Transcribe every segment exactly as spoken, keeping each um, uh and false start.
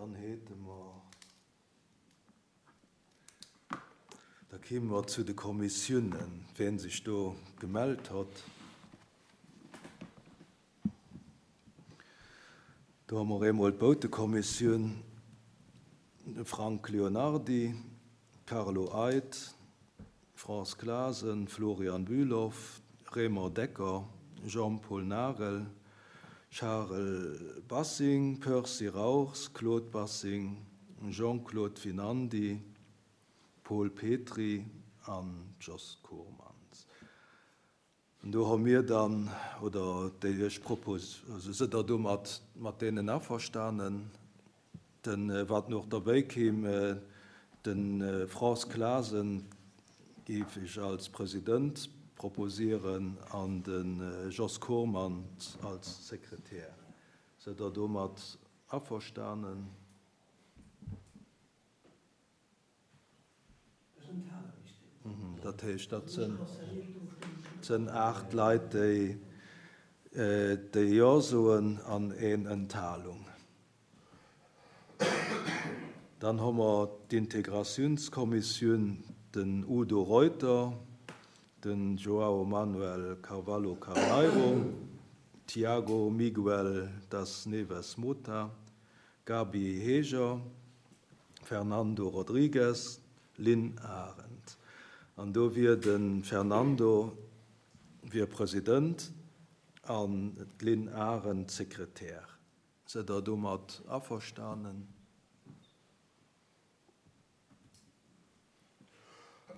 Dann hate mer, da kéime mer zu de Kommissiounen, wien sech do gemellt huet. Do hu mer eemol d'Boutekommissioun, de Frank Leonardi, Carlo Eid, France Glasen, Florian Bülow, Raymond Decker, Jean-Paul Nagel, Charel Bassing, Percy Rauchs, Claude Bassing, Jean-Claude Finandi, Paul Petry an Jos Koormans. An do hu mir dann, oder déi ech propos, also sidd Der do mat, mat deenen averstanen? Den, wat nach derbäi kéim, de France Glasen géif ech als President proposieren an de Jos Koormans als Sekretär. Sidd Der domat averstanen? Dat heescht, dat sinn, sinn aacht Leit, déi, déi Jo soen an een Enthalung. Dann hu mer d'Integratiounskommissioun, den Udo Reuter, den João Manuel Carvalho Carneiro, Tiago Miguel das Neves Mota, Gabi Heger, Fernando Rodrigues, Lynn Arendt. An do wier de Fernando wier President an d'Lynn Arendt Sekretär. Sidd Der domat averstanen?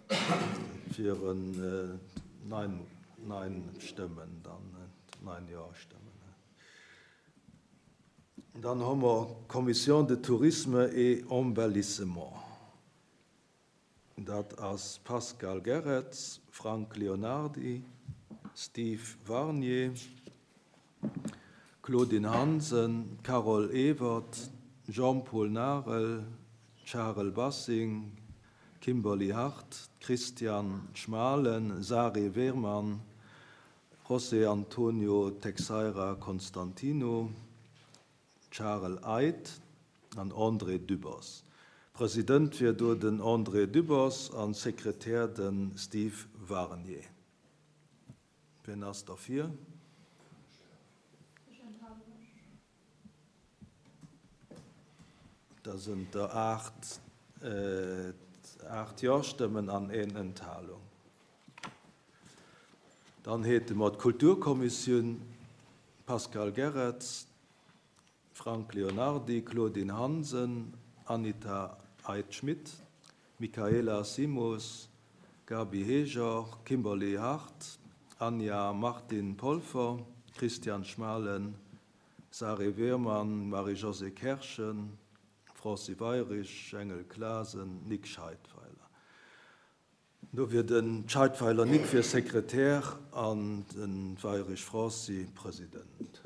Dat wieren neun, neun Stëmmen dann, neun Ja-Stëmmen. Dann hu mer Commission de Tourisme et Embellissement. Dat ass Pascal Gerrets, Frank Leonardi, Steve Warnier, Claudine Hansen, Carole Ewert, Jean-Paul Nagel, Charel Bassing, Kimberly Hart, Christian Schmalen, Sari Wehrmann, José Antonio Teixeira Constantino, Charel Eid an André Dübbers. President wier do den André Dübbers an Sekretär den Steve Warnier. Wien ass derfir? Ech enthale mech. Da sinn der aacht, aacht Ja-Stëmmen an een Enthalung. Dann hate mer d'Kulturkommissioun, Pascal Gerrets, Frank Leonardi, Claudine Hansen, Anita Eid-Schmidt, Michaela Simos, Gabi Heger, Kimberly Hart, Anja Martin Polfer, Christian Schmalen, Sari Wehrmann, Marie-Josée Kerschen, Franci Weyrich, Engel Klasen, Nick Scheidweiler. Do wier den Scheidweiler Nick fir Sekretär an den Weyrich Franci President.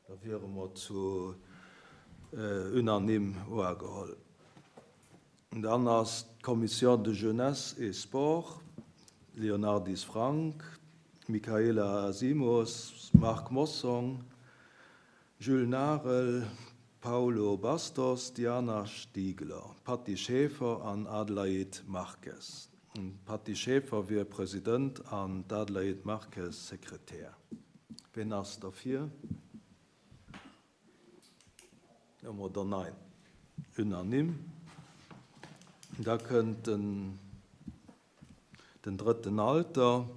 Da wiere mer zu unanime ugeholl. Dann ass d'Commission de Jeunesse et Sport, Leonardis Frank, Michaela Simos, Marc Mossong, Jules Nagel, Paulo Bastos, Diana Stiegler, Patty Schäfer an Adelaide Marques. Patty Schäfer wier President an d'Adelaide Marques Sekretär. Wien ass derfir? Oder nein? Unanime. Da kënnt den, den drëtten Alter,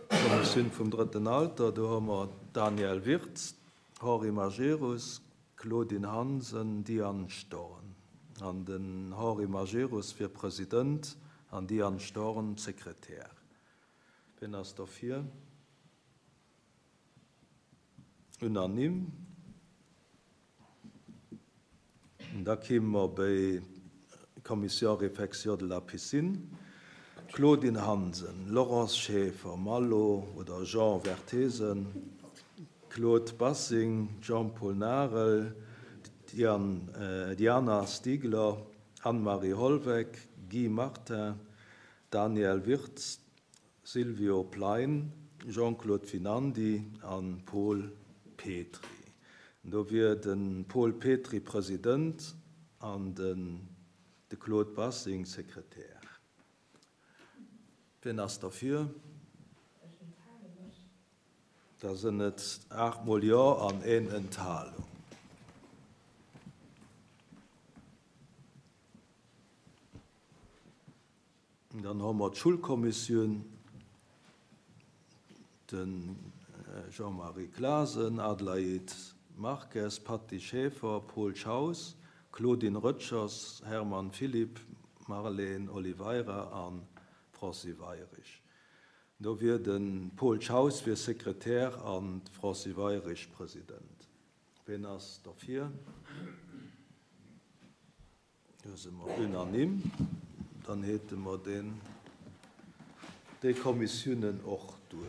Kommissioun vum drëtten Alter, do hu mer Daniel Wirtz, Henri Majerus, Claudine Hansen, Diane Storn. An den Henri Majerus wier President an Diane Storn Sekretär. Wien ass derfir? Unanime. Da kéime mer bei Commission Réfection de la Piscine. Claudine Hansen, Laurence Schäfer, Malo oder Jean Vertesen, Claude Bassing, Jean-Paul Nagel, Diane, äh, Diana Stiegler, Anne-Marie Holweck, Guy Martin, Daniel Wirtz, Silvio Plein, Jean-Claude Finandi an Paul Petry. Do wier de Paul Petry President an den de Claude Bassing Sekretär. Wien ass derfir? Ech enthale mech. Da sinn et aacht mol Jo an een Enthalung. Dann hu mer d'Schoulkommissioun, de Jean-Marie Clasen, Adelaide Marques, Patty Schaefer, Paul Schaus, Claudine Röttgers, Hermann Philipp, Marlene Oliveira a Francis Weyrich. Do wier de Paul Schaus wier Sekretär an d'Francis Weyrich President. Wien ass derfir? Do si mer unanime. Dann hätte mer den, déi Kommissiounen och duerch.